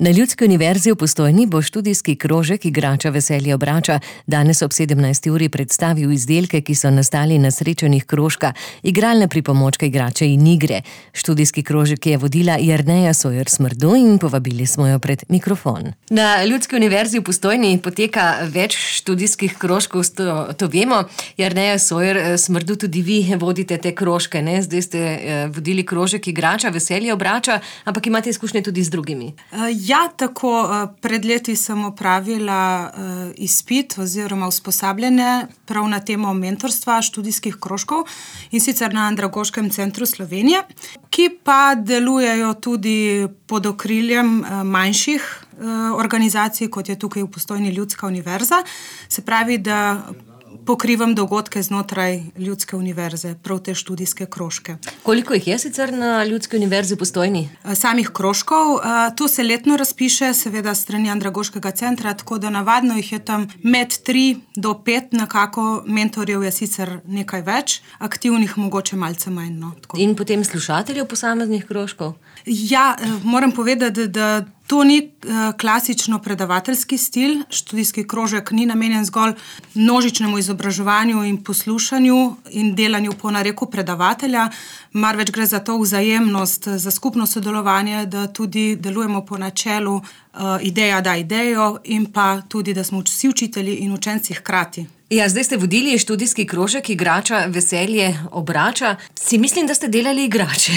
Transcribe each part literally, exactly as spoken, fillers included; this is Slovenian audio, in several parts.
Na Ljudski univerzi v Postojni bo študijski krožek Igrača veselje obrača danes ob sedemnajsti uri predstavil izdelke, ki so nastali na srečanjih krožka, igralne pripomočke, igrače in igre. Študijski krožek je vodila Jerneja Sojer Smrdu in povabili smo jo pred mikrofon. Na Ljudski univerzi v Postojni poteka več študijskih krožkov, to, to vemo. Jerneja Sojer Smrdu, tudi vi vodite te krožke, ne? Zdaj ste eh, vodili krožek Igrača veselje obrača, ampak imate izkušnje tudi z drugimi. Ja, tako, pred leti sem opravila izpit oziroma usposabljanje prav na temo mentorstva študijskih krožkov in sicer na Andragoškem centru Slovenije, ki pa delujejo tudi pod okriljem manjših organizacij, kot je tukaj v Postojni Ljudska univerza. Se pravi, da pokrivam dogodke znotraj Ljudske univerze, prav te študijske krožke. Koliko jih je sicer na Ljudski univerzi v Postojni? Samih krožkov, to se letno razpiše, seveda strani Andragoškega centra, tako da navadno jih je tam med tri do pet, nekako mentorjev je sicer nekaj več, aktivnih mogoče malce manj. No, in potem slušateljev posameznih krožkov? Ja, moram povedati, da to ni klasično predavateljski stil. Študijski krožek ni namenjen zgolj množičnemu izobraževanju in poslušanju in delanju po nareku predavatelja, marveč gre za to vzajemnost, za skupno sodelovanje, da tudi delujemo po načelu ideja da idejo in pa tudi, da smo vsi učitelji in učenci hkrati. Ja, zdaj ste vodili študijski krožek Igrača veselje obrača. Si mislim, da ste delali igrače.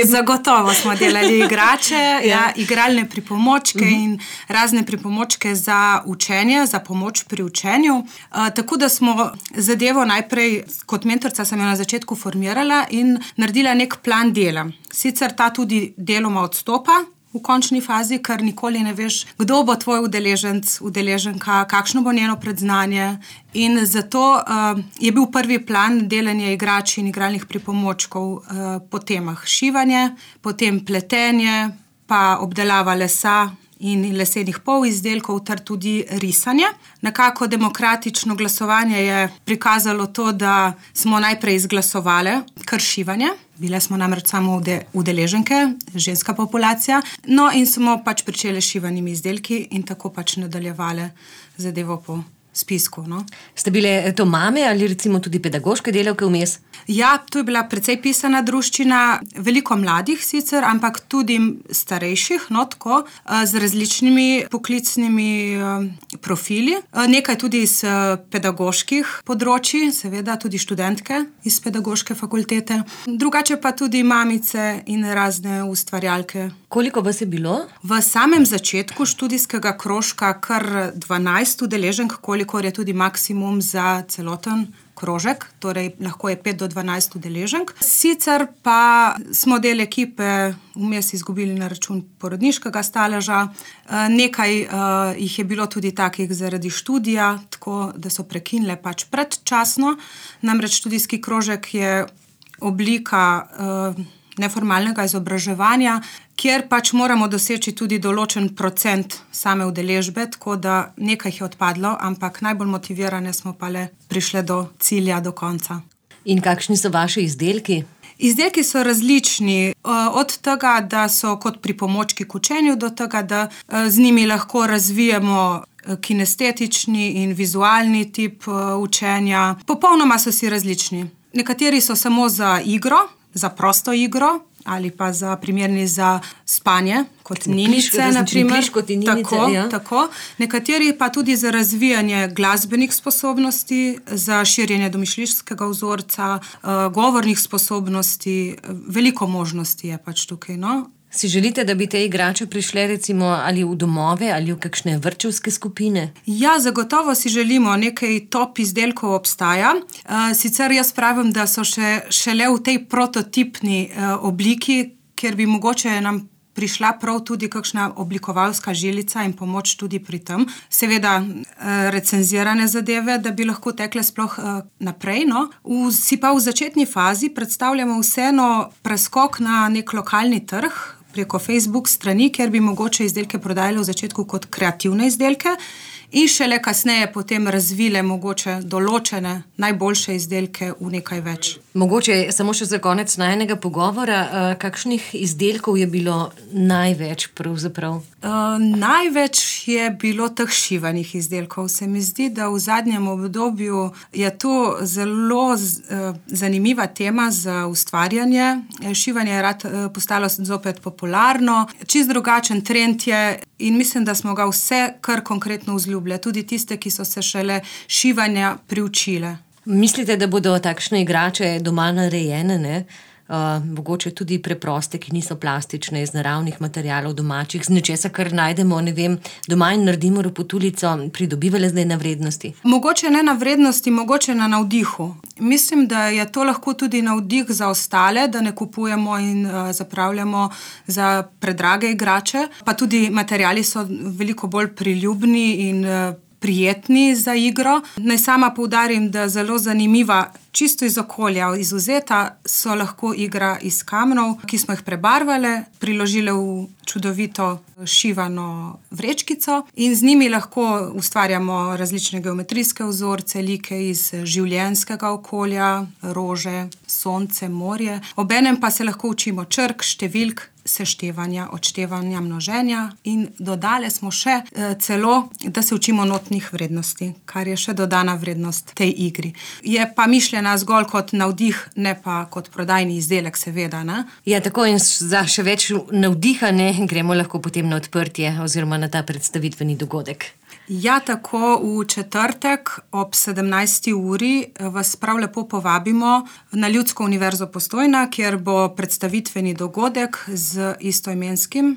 Zagotovo smo delali igrače, ja. Ja, igralne pripomočke uh-huh. in razne pripomočke za učenje, za pomoč pri učenju. Uh, tako da smo zadevo najprej, kot mentorca sem jo na začetku formirala in naredila nek plan dela. Sicer ta tudi deloma odstopa v končni fazi, ker nikoli ne veš, kdo bo tvoj udeleženc, udeleženka, kakšno bo njeno predznanje. In zato uh, je bil prvi plan delanje igrač in igralnih pripomočkov uh, po temah šivanje, potem pletenje, pa obdelava lesa in lesenih polizdelkov ter tudi risanje. Nekako demokratično glasovanje je prikazalo to, da smo najprej izglasovali kar šivanje. Bile smo namreč samo udeleženke, ženska populacija. No in smo pač pričeli šivanimi izdelki in tako pač nadaljevali zadevo po spisku. No. Ste bile to mame ali recimo tudi pedagoške delavke vmes? Ja, to je bila precej pisana druščina, veliko mladih sicer, ampak tudi starejših, no tako, z različnimi poklicnimi profili. Nekaj tudi iz pedagoških področji, seveda tudi študentke iz pedagoške fakultete. Drugače pa tudi mamice in razne ustvarjalke. Koliko vas je bilo? V samem začetku študijskega krožka kar dvanajst udeleženk, kolikor je tudi maksimum za celoten krožek, torej lahko je pet do dvanajst udeleženk. Sicer pa smo del ekipe vmes izgubili na račun porodniškega staleža. Nekaj uh, jih je bilo tudi takih zaradi študija, tako da so prekinile pač predčasno. Namreč študijski krožek je oblika uh, neformalnega izobraževanja, kjer pač moramo doseči tudi določen procent same udeležbe, tako da nekaj jih je odpadlo, ampak najbolj motivirane smo pa le prišle do cilja, do konca. In kakšni so vaši izdelki? Izdelki so različni, od tega, da so kot pripomočki k učenju, do tega, da z njimi lahko razvijemo kinestetični in vizualni tip učenja. Popolnoma so si različni. Nekateri so samo za igro, za prosto igro, ali pa za primerni za spanje, kot ninice, na primer. Tako, ja. tako. Nekateri pa tudi za razvijanje glasbenih sposobnosti, za širjenje domišljijskega vzorca, govornih sposobnosti, veliko možnosti je pač tukaj, no. Si želite, da bi te igrače prišle recimo ali v domove ali v kakšne vrtčevske skupine? Ja, zagotovo si želimo, nekaj top izdelkov obstaja. Sicer jaz pravim, da so še, šele v tej prototipni obliki, kjer bi mogoče nam prišla prav tudi kakšna oblikovalska žilica in pomoč tudi pri tem. Seveda recenzirane zadeve, da bi lahko tekle sploh naprej. No. V, si pa v začetni fazi predstavljamo vseeno preskok na nek lokalni trg, preko Facebook strani, kjer bi mogoče izdelke prodajali v začetku kot kreativne izdelke in šele kasneje potem razvile mogoče določene najboljše izdelke v nekaj več. Mogoče samo še za konec najinega pogovora, kakšnih izdelkov je bilo največ pravzaprav? Uh, največ je bilo teh šivanih izdelkov. Se mi zdi, da v zadnjem obdobju je to zelo z, uh, zanimiva tema za ustvarjanje. Šivanje je rad uh, postalo zopet popularno. Čist drugačen trend je in mislim, da smo ga vse kar konkretno vzljubile. Tudi tiste, ki so se šele šivanja priučile. Mislite, da bodo takšne igrače doma narejene, ne? Uh, mogoče tudi preproste, ki niso plastične, iz naravnih materialov domačih, z nečesa, kar najdemo, ne vem, doma in naredimo ropotulico, pridobivale zdaj na vrednosti? Mogoče ne na vrednosti, mogoče na navdihu. Mislim, da je to lahko tudi navdih za ostale, da ne kupujemo in uh, zapravljamo za predrage igrače, pa tudi materiali so veliko bolj priljubni in uh, prijetni za igro. Naj sama poudarim, da zelo zanimiva, čisto iz okolja izvzeta, so lahko igra iz kamnov, ki smo jih prebarvale, priložile v čudovito šivano vrečkico in z njimi lahko ustvarjamo različne geometrijske vzorce, like iz življenjskega okolja, rože, sonce, morje. Obenem pa se lahko učimo črk, številk, seštevanja, odštevanja, množenja in dodale smo še e, celo, da se učimo notnih vrednosti, kar je še dodana vrednost tej igri. Je pa mišljena zgolj kot navdih, ne pa kot prodajni izdelek, seveda, ne? Ja, tako in za še več navdiha, ne, gremo lahko potem na odprtje oziroma na ta predstavitveni dogodek. Ja, tako v četrtek ob sedemnajsti uri vas prav lepo povabimo na Ljudsko univerzo Postojna, kjer bo predstavitveni dogodek z istoimenskim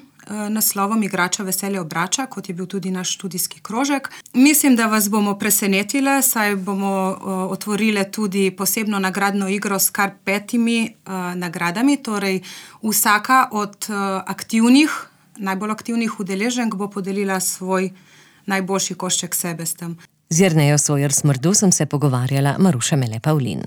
naslovom Igrača veselje obrača, kot je bil tudi naš študijski krožek. Mislim, da vas bomo presenetile, saj bomo otvorile tudi posebno nagradno igro s kar petimi nagradami, torej vsaka od aktivnih, najbolj aktivnih udeleženk bo podelila svoj najboljši košček sebe s tem. Z Jernejo Sojer Smrdu sem se pogovarjala Maruša Mele Pavlin.